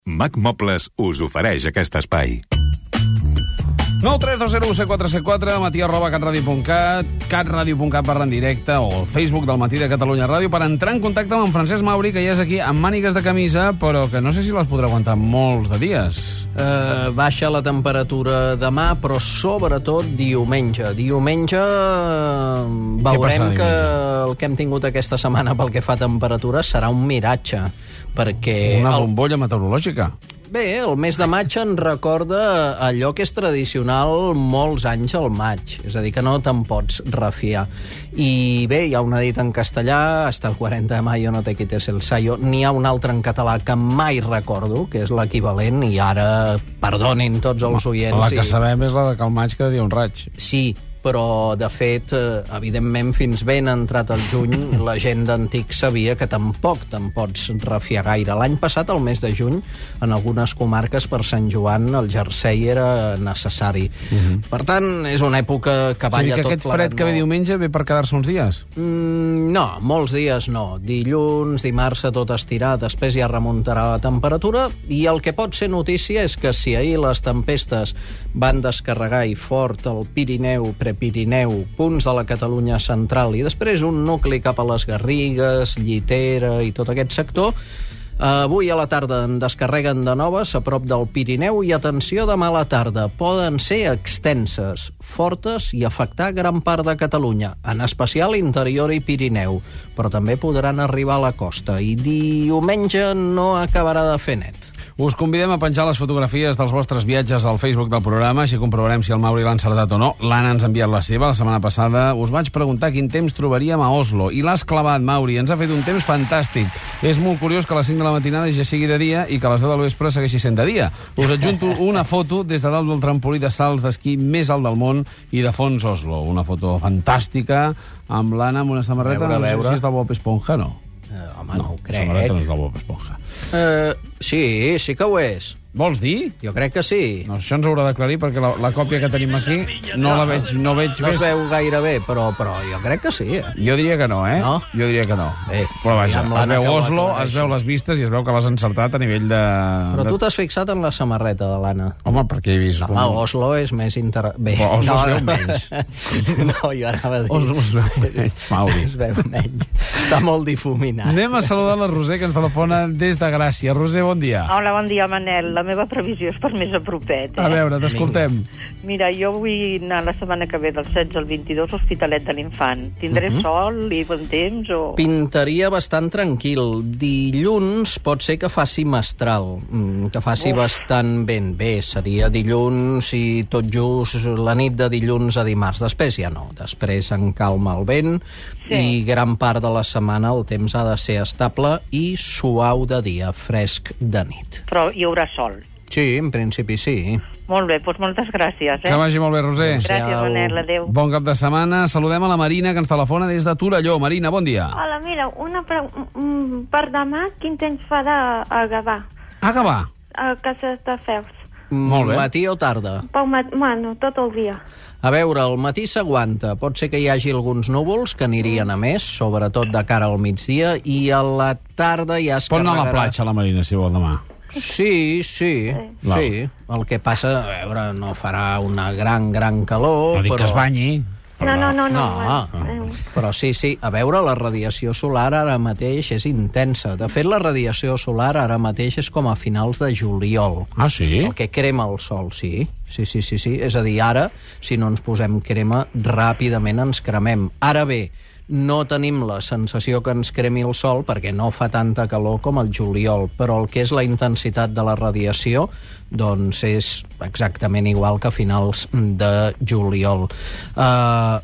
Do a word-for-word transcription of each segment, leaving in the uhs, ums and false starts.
Mac Mobles us ofereix aquest espai. nou tres dos zero set quatre set quatre, matí arroba catradio punt cat, catradio punt cat barra en directe o el Facebook del Matí de Catalunya Ràdio per entrar en contacte amb en Francesc Mauri, que ja és aquí amb mànigues de camisa, però que no sé si les podrà aguantar molts de dies. Uh, baixa la temperatura demà, però sobretot diumenge. Diumenge uh, veurem que el que hem tingut aquesta setmana pel que fa a temperatura serà un miratge, perquè... Una el... bombolla meteorològica. Bé, el mes de maig en recorda allò que és tradicional molts anys al maig, és a dir, que no te'n pots refiar. I bé, hi ha una dita en castellà, hasta el quaranta de mayo no te quites el sayo, n'hi ha una altra en català que mai recordo, que és l'equivalent, i ara perdonin tots els oients. La que i... sabem és la de que el maig cada dia un raig. Sí, però, de fet, evidentment, fins ben entrat el juny, la gent d'antic sabia que tampoc te'n pots refiar gaire. L'any passat, al mes de juny, en algunes comarques, per Sant Joan, el jersei era necessari. Uh-huh. Per tant, és una època que balla tot plegat. És a dir, que aquest fred que ve diumenge ve per quedar-se uns dies? Mm, no, molts dies no. Dilluns, dimarts, a tot estirar, després ja remuntarà la temperatura, i el que pot ser notícia és que si ahir les tempestes van descarregar i fort el Pirineu, Pirineu, punts de la Catalunya central i després un nucli cap a les Garrigues, Llitera i tot aquest sector, avui a la tarda en descarreguen de noves a prop del Pirineu i, atenció, demà a la tarda poden ser extenses, fortes i afectar gran part de Catalunya, en especial interior i Pirineu, però també podran arribar a la costa i diumenge no acabarà de fer net. Us convidem a penjar les fotografies dels vostres viatges al Facebook del programa, així comprovarem si el Mauri l'ha encertat o no. L'Anna ens ha enviat la seva. La setmana passada us vaig preguntar quin temps trobaríem a Oslo, i l'has clavat, Mauri. Ens ha fet un temps fantàstic. És molt curiós que a les cinc de la matinada ja sigui de dia i que a les deu del vespre segueixi sent de dia. Us adjunto una foto des de dalt del trampolí de salts d'esquí més alt del món i de fons Oslo. Una foto fantàstica amb l'Anna amb una samarreta, veure, no sé veure. si és del Bob Esponja, no? Uh, home, no, no ho crec. La samarreta no és del Bob Esponja. Uh, sí, sí que ho és. Vols dir? Jo crec que sí. No, això ens haurà d'aclarir, perquè la, la còpia que tenim aquí no la veig, no veig no més. es veu gaire bé, però, però jo crec que sí. Eh? Jo diria que no, eh? No? Jo diria que no. Bé, però vaja, es veu Oslo, es aclareixi. veu les vistes i es veu que l'has encertat a nivell de... Però de... tu t'has fixat en la samarreta de l'Anna. Home, perquè he vist... No, com... Oslo és més inter... Bé, però Oslo no, es veu menys. No, jo anava a dir... Oslo es veu menys, Mauri. Es veu menys. Està molt difuminat. Anem a saludar la Roser, que ens telefona des de Gràcia. Roser, bon dia. Hola, bon dia, Manel. La meva previsió és per més a propet. Eh? A veure, t'escoltem. Mira, jo vull anar la setmana que ve del setze al vint-i-dos a Hospitalet de l'Infant. Tindré uh-huh. sol i bon temps o...? Pintaria bastant tranquil. Dilluns pot ser que faci mestral, que faci Uf. bastant ben bé. Seria dilluns i tot just la nit de dilluns a dimarts. Després ja no. Després en calma el vent sí. i gran part de la setmana el temps ha de ser estable i suau de dia, fresc de nit. Però hi haurà sol? Sí, en principi sí. Molt bé, doncs moltes gràcies. Eh? Que vagi molt bé, Roser. Gràcies, Manel, adéu. Bon cap de setmana. Saludem a la Marina, que ens telefona des de Torelló. Marina, bon dia. Hola, mira, una pre... per demà, quin temps farà a Gavà? A Gavà? A Casa de Feus. Molt bé. Matí o tarda? Pel mat... Bueno, tot el dia. A veure, el matí s'aguanta. Pot ser que hi hagi alguns núvols que anirien a més, sobretot de cara al migdia, i a la tarda ja es Pot anar carregarà... a la platja, la Marina, si vol, demà. Sí, sí, sí. sí. El que passa, a veure, no farà una gran, gran calor, no dic però... que es banyi. No, no, no. no, no. no. Però sí, sí, a veure, la radiació solar ara mateix és intensa. De fet, la radiació solar ara mateix és com a finals de juliol. Ah, sí? El que crema el sol, sí. Sí, sí, sí, sí. És a dir, ara, si no ens posem crema, ràpidament ens cremem. Ara bé, no tenim la sensació que ens cremi el sol perquè no fa tanta calor com el juliol, però el que és la intensitat de la radiació doncs és exactament igual que a finals de juliol. Uh,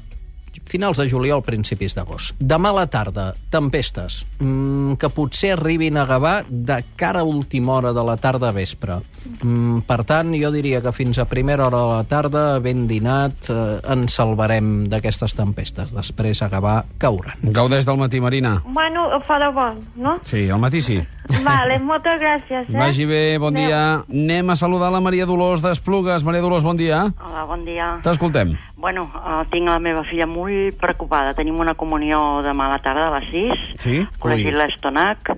finals de juliol, principis d'agost. Demà a la tarda, tempestes, mm, que potser arribin a Gavà de cara a última hora de la tarda a vespre. Mm, per tant, jo diria que fins a primera hora de la tarda, ben dinat, eh, ens salvarem d'aquestes tempestes. Després a Gavà cauran. Gaudeix del matí, Marina. Bueno, farà bon, no? Sí, al matí sí. Vale, moltes gràcies, eh? Vagi bé, bon Adeu. dia. Anem a saludar la Maria Dolors d'Esplugues. Maria Dolors, bon dia. Hola, bon dia. T'escoltem. Bueno, uh, tinc la meva filla molt preocupada. Tenim una comunió demà a la tarda a les sis. Sí? Col·legi Ui. l'Estonac.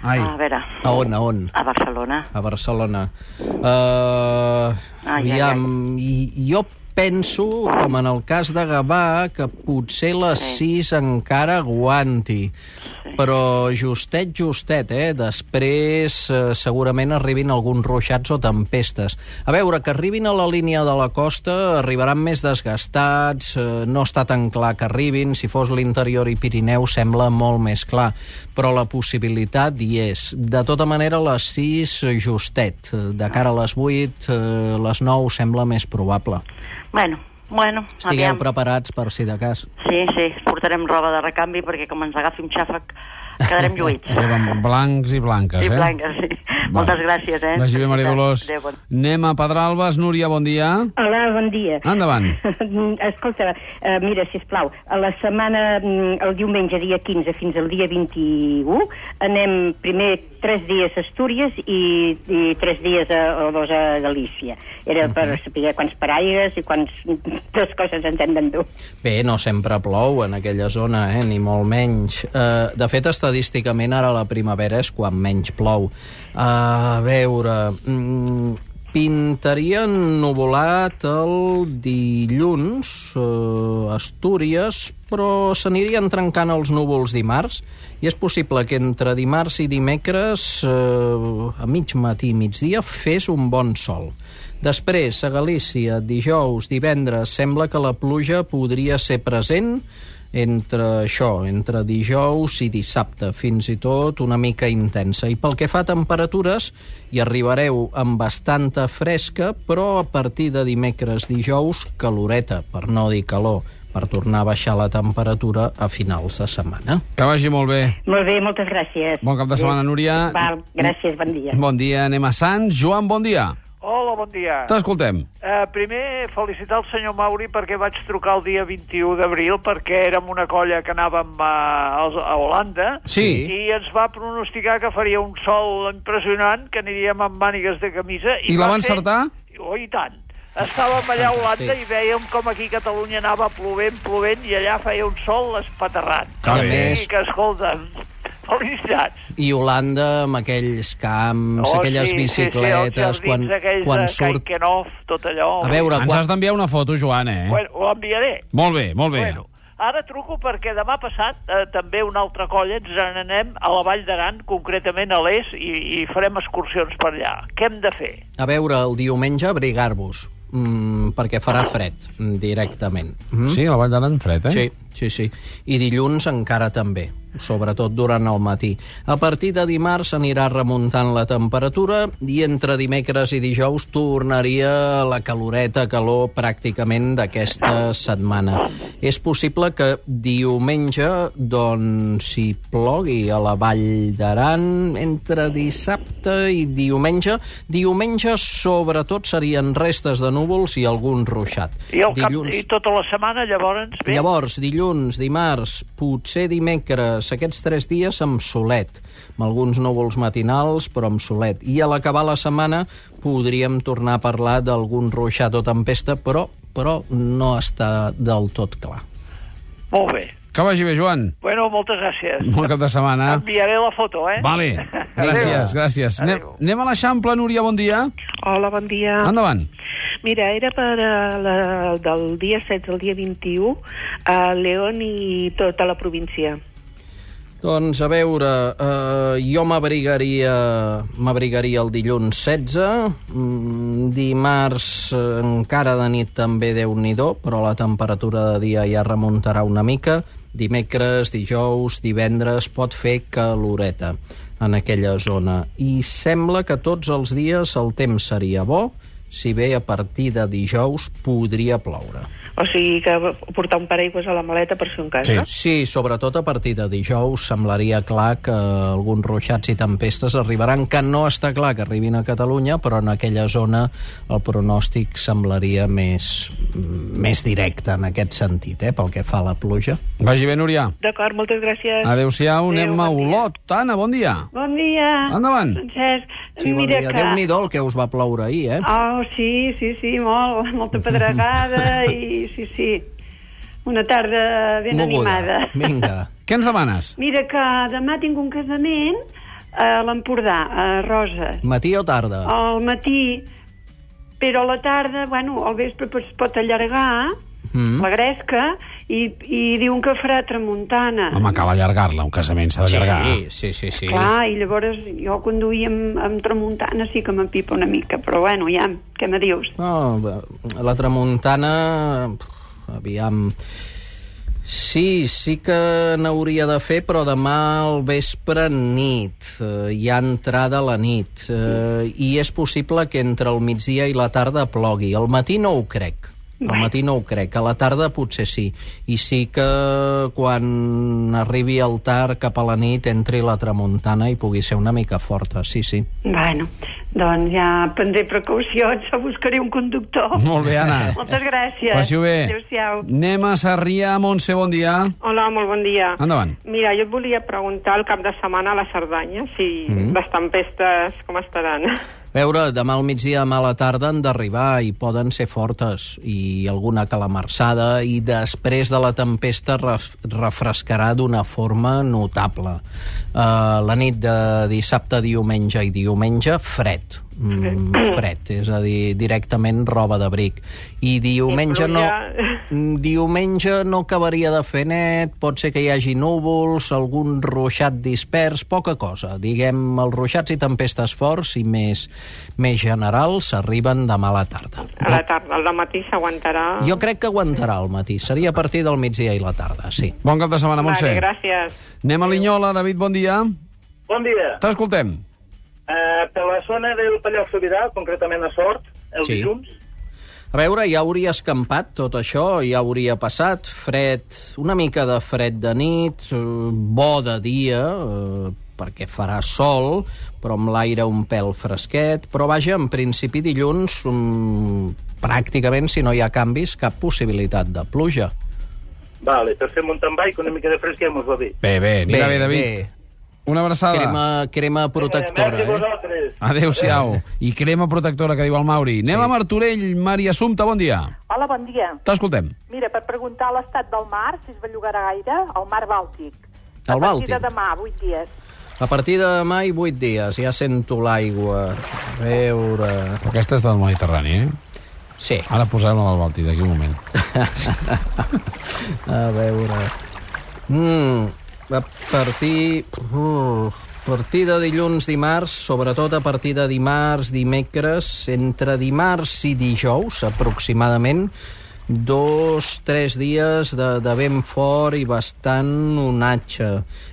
Ai. A veure... A on, a on? A Barcelona. A Barcelona. Uh, Ai, aviam, i, jo penso, com en el cas de Gavà, que potser les sis encara aguanti. Però justet, justet, eh? Després eh, segurament arribin alguns ruixats o tempestes. A veure, que arribin a la línia de la costa, arribaran més desgastats, eh, no està tan clar que arribin, si fos l'interior i Pirineu sembla molt més clar, però la possibilitat hi és. De tota manera, les sis justet, de cara a les vuit, eh, les nou sembla més probable. Bueno, bueno, Estigueu aviam. preparats per si de cas. Sí, sí, portarem roba de recanvi perquè com ens agafi un xàfec quedarem lluïts. Lleven blancs i blanques, Sí, eh? blanques, sí. Moltes gràcies, eh? Vagi bé, Maria Dolors. Adéu, bon... Anem a Pedralbes. Núria, bon dia. Hola, bon dia. Endavant. Escolta, uh, mira, sisplau, a la setmana, el diumenge, dia quinze, fins al dia vint-i-u, anem primer tres dies a Astúries i, i tres dies a, o dos a Galícia. Era uh -huh. per saber quants paraires i quants dues coses ens hem d'endur. Bé, no sempre plou en aquella zona, eh? Ni molt menys. Uh, de fet, estadísticament, ara la primavera és quan menys plou. Uh, a veure... Mm, pintaria ennuvolat el dilluns uh, Astúries, però s'anirien trencant els núvols dimarts i és possible que entre dimarts i dimecres uh, a mig matí i migdia fes un bon sol. Després, a Galícia, dijous, divendres, sembla que la pluja podria ser present entre això, entre dijous i dissabte, fins i tot una mica intensa. I pel que fa a temperatures, hi arribareu amb bastanta fresca, però a partir de dimecres, dijous, caloreta, per no dir calor, per tornar a baixar la temperatura a finals de setmana. Que vagi molt bé. Molt bé, moltes gràcies. Bon cap de setmana, Núria. Val, gràcies, bon dia. Bon dia, anem a Sants. Joan, bon dia. Hola, bon dia. T'escoltem. Uh, primer, felicitar el senyor Mauri perquè vaig trucar el dia vint-i-u d'abril perquè érem una colla que anàvem a, a Holanda Sí. i ens va pronosticar que faria un sol impressionant, que aniríem amb mànigues de camisa. I la va encertar? Oh, i tant. Estàvem allà a Holanda sí. i vèiem com aquí a Catalunya anava plovent, plovent, i allà feia un sol espaterrant. Que bé. I que, escolta'm, felicitats. I Holanda, amb aquells camps, Oh, aquelles sí, bicicletes, sí, sí, els quan, aquells quan de surt... Kaikenov, tot allò. A veure, Ens quan... has d'enviar una foto, Joan, eh? Bueno, ho enviaré. Molt bé, molt bé. Bueno, ara truco perquè demà passat eh, també una altra colla ens n'anem a la Vall d'Aran, concretament a l'Es, i, i farem excursions per allà. Què hem de fer? A veure, el diumenge abrigar-vos, mm, perquè farà fred, mm, directament. Mm? Sí, a la Vall d'Aran fred, eh? Sí, sí, sí. I dilluns encara també, sobretot durant el matí. A partir de dimarts anirà remuntant la temperatura i entre dimecres i dijous tornaria la caloreta, calor pràcticament d'aquesta setmana. És possible que diumenge, doncs, hi plogui a la Vall d'Aran entre dissabte i diumenge. Diumenge, sobretot, serien restes de núvols i algun ruixat. I, el Dilluns... cap, I tota la setmana, llavors... Bé? Llavors, dilluns, dimarts, potser dimecres, aquests tres dies amb solet, amb alguns núvols matinals, però amb solet. I a l'acabar la setmana podríem tornar a parlar d'algun ruixat o tempesta, però, però no està del tot clar. Molt bé. Que vagi bé, Joan. Bueno, moltes gràcies. Bon cap de setmana. Enviaré la foto, eh? Vale, gràcies, gràcies. Anem, anem a l'Eixample, Núria, bon dia. Hola, bon dia. Endavant. Mira, era per uh, la, del dia setze al dia vint-i-u a León i tota la província. Doncs, a veure, eh, jo m'abrigaria m'abrigaria el dilluns setze, mm, dimarts eh, encara de nit també Déu-n'hi-do, però la temperatura de dia ja remuntarà una mica, dimecres, dijous, divendres pot fer caloreta en aquella zona. I sembla que tots els dies el temps seria bo, si bé a partir de dijous podria ploure. O sigui que portar un paraigües a la maleta per si un cas, Sí. no? Sí, sobretot a partir de dijous semblaria clar que alguns ruixats i tempestes arribaran, que no està clar que arribin a Catalunya, però en aquella zona el pronòstic semblaria més, més directe en aquest sentit, eh, pel que fa a la pluja. Vagi bé, Núria. D'acord, moltes gràcies. Adéu-siau, Adéu, anem a bon dia. Olot. Anna, bon dia. Bon dia. Endavant. Francesc, Sí, bon mira dia. que... Déu-n'hi-do el que us va ploure ahir, eh? Oh, sí, sí, sí, molt, molta pedregada i sí, sí, una tarda ben Moguda. animada. Vinga. Què ens demanes? Mira que demà tinc un casament a l'Empordà, a Roses. Matí o tarda? Al matí, però a la tarda, bueno, al vespre es pot allargar mm. la gresca i, i diuen que farà tramuntana. Home, cal allargar-la, un casament s'ha d'allargar. Sí, sí, sí, sí. Clar, i llavors jo quan duia amb, amb tramuntana sí que m'empipa una mica, però bueno, ja, què me dius? No, la tramuntana, aviam... Sí, sí que n'hauria de fer, però demà al vespre nit, eh, hi ha entrada a la nit, eh, i és possible que entre el migdia i la tarda plogui. Al matí no ho crec. Al matí no ho crec, a la tarda potser sí. I sí que quan arribi el tard cap a la nit entri la tramuntana i pugui ser una mica forta, sí, sí. Bueno, doncs ja prendré precaucions, buscaré un conductor. Molt bé, Anna. Moltes gràcies. Passi-ho bé. Adéu-siau. Anem a Sarrià, Montse, bon dia. Hola, molt bon dia. Endavant. Mira, jo et volia preguntar el cap de setmana a la Cerdanya, si mm. les tempestes com estaran. A veure, demà al migdia, demà a la tarda han d'arribar i poden ser fortes i alguna calamarsada i després de la tempesta ref refrescarà d'una forma notable. Uh, la nit de dissabte, diumenge i diumenge, fred. Mm, fred, és a dir, directament roba d'abric. I diumenge no, diumenge no acabaria de fer net, pot ser que hi hagi núvols, algun ruixat dispers, poca cosa. Diguem, els ruixats i tempestes forts i més, més generals arriben demà a la tarda. A la tarda, al matí s'aguantarà? Jo crec que aguantarà al matí, seria a partir del migdia i la tarda, sí. Bon cap de setmana, Montse. Vale, gràcies. Anem a Linyola, David, bon dia. Bon dia. T'escoltem. Uh, per la zona del Pallars Sobirà, concretament a Sort, el sí. dilluns. A veure, ja hauria escampat tot això, ja hauria passat, fred, una mica de fred de nit, bo de dia, eh, perquè farà sol, però amb l'aire un pèl fresquet, però vaja, en principi dilluns, um, pràcticament, si no hi ha canvis, cap possibilitat de pluja. Vale, per fer mountain bike, una mica de fresc ja mos va bé. Bé, bé, anirà bé, bé David. Bé. Una abraçada. Crema, crema protectora. Eh? Adéu-siau. I crema protectora, que diu el Mauri. Anem sí. a Martorell. Maria Assumpta, bon dia. Hola, bon dia. T'escoltem. Mira, per preguntar l'estat del mar, si es bellugarà gaire, al mar Bàltic. El Bàltic? A partir de demà, vuit dies. A partir de demà i vuit dies. Ja sento l'aigua. A veure... Aquesta és del Mediterrani, eh? Sí. Ara posem-la al Bàltic, d'aquí un moment. A veure... Mm... A partir, uh, a partir de dilluns, dimarts, sobretot a partir de dimarts, dimecres, entre dimarts i dijous, aproximadament, dos, tres dies de, de vent fort i bastant onatge.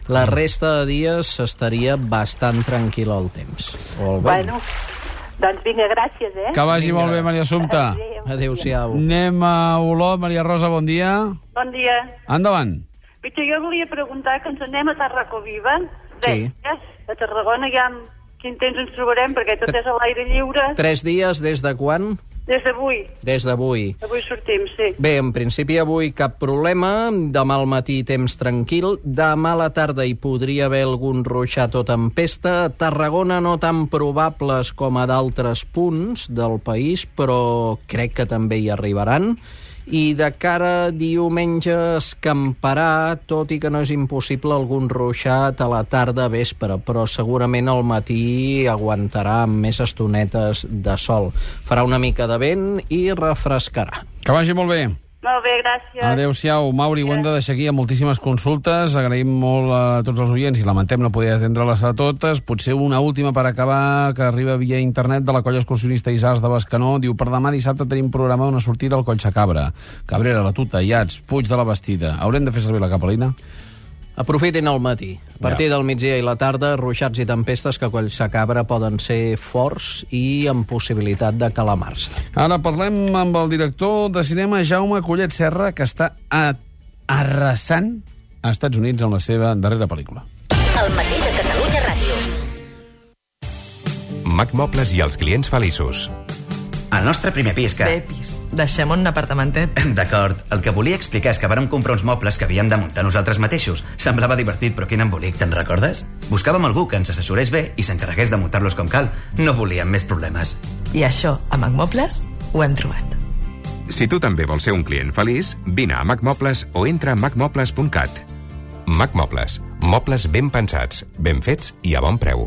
La resta de dies estaria bastant tranquil el temps. O el bueno, doncs vinga, gràcies, eh? Que vagi vinga. Molt bé, Maria Assumpta. Adéu-siau. Anem a Olot. Maria Rosa, bon dia. Bon dia. Endavant. Jo volia preguntar que ens anem a Tarracoviva. Sí. A Tarragona ja quin temps ens trobarem, perquè tot és a l'aire lliure. Tres dies des de quan? Des d'avui. Des d'avui. Avui sortim, sí. Bé, en principi avui cap problema. Demà al matí temps tranquil. Demà a la tarda hi podria haver algun ruixat o tempesta. A Tarragona no tan probables com a d'altres punts del país, però crec que també hi arribaran. I de cara a diumenge escamparà, tot i que no és impossible algun ruixat a la tarda vespre, però segurament al matí aguantarà amb més estonetes de sol. Farà una mica de vent i refrescarà. Que vagi molt bé. Molt bé, gràcies. Adéu-siau. Mauri, ho hem de deixar aquí amb moltíssimes consultes. Agraïm molt a tots els oients i lamentem no poder atendre-les a totes. Potser una última per acabar, que arriba via internet de la colla excursionista Isars de Bescanó. Diu, per demà dissabte tenim programada una sortida al Coll Sacabra. Cabrera, la Tuta, Iats, Puig de la Bastida. Haurem de fer servir la capelina? Aprofitin el matí. A partir ja. del migdia i la tarda, ruixats i tempestes que a Coll Sacabra poden ser forts i amb possibilitat de calamar-se. Ara parlem amb el director de cinema Jaume Collet Serra, que està a... arrasant a Estats Units amb la seva darrera pel·lícula. El matí de Catalunya Ràdio. Mac Mobles i els clients feliços. El nostre primer pis que... Bé, pis. Deixem un apartamentet. D'acord. El que volia explicar és que vàrem comprar uns mobles que havíem de muntar nosaltres mateixos. Semblava divertit, però quin embolic, te'n recordes? Buscàvem algú que ens assessorés bé i s'encarregués de muntar-los com cal. No volíem més problemes. I això, a Mac Mobles, ho hem trobat. Si tu també vols ser un client feliç, vine a Mac Mobles o entra a mac mobles punt cat. Mac Mobles. Mobles ben pensats, ben fets i a bon preu.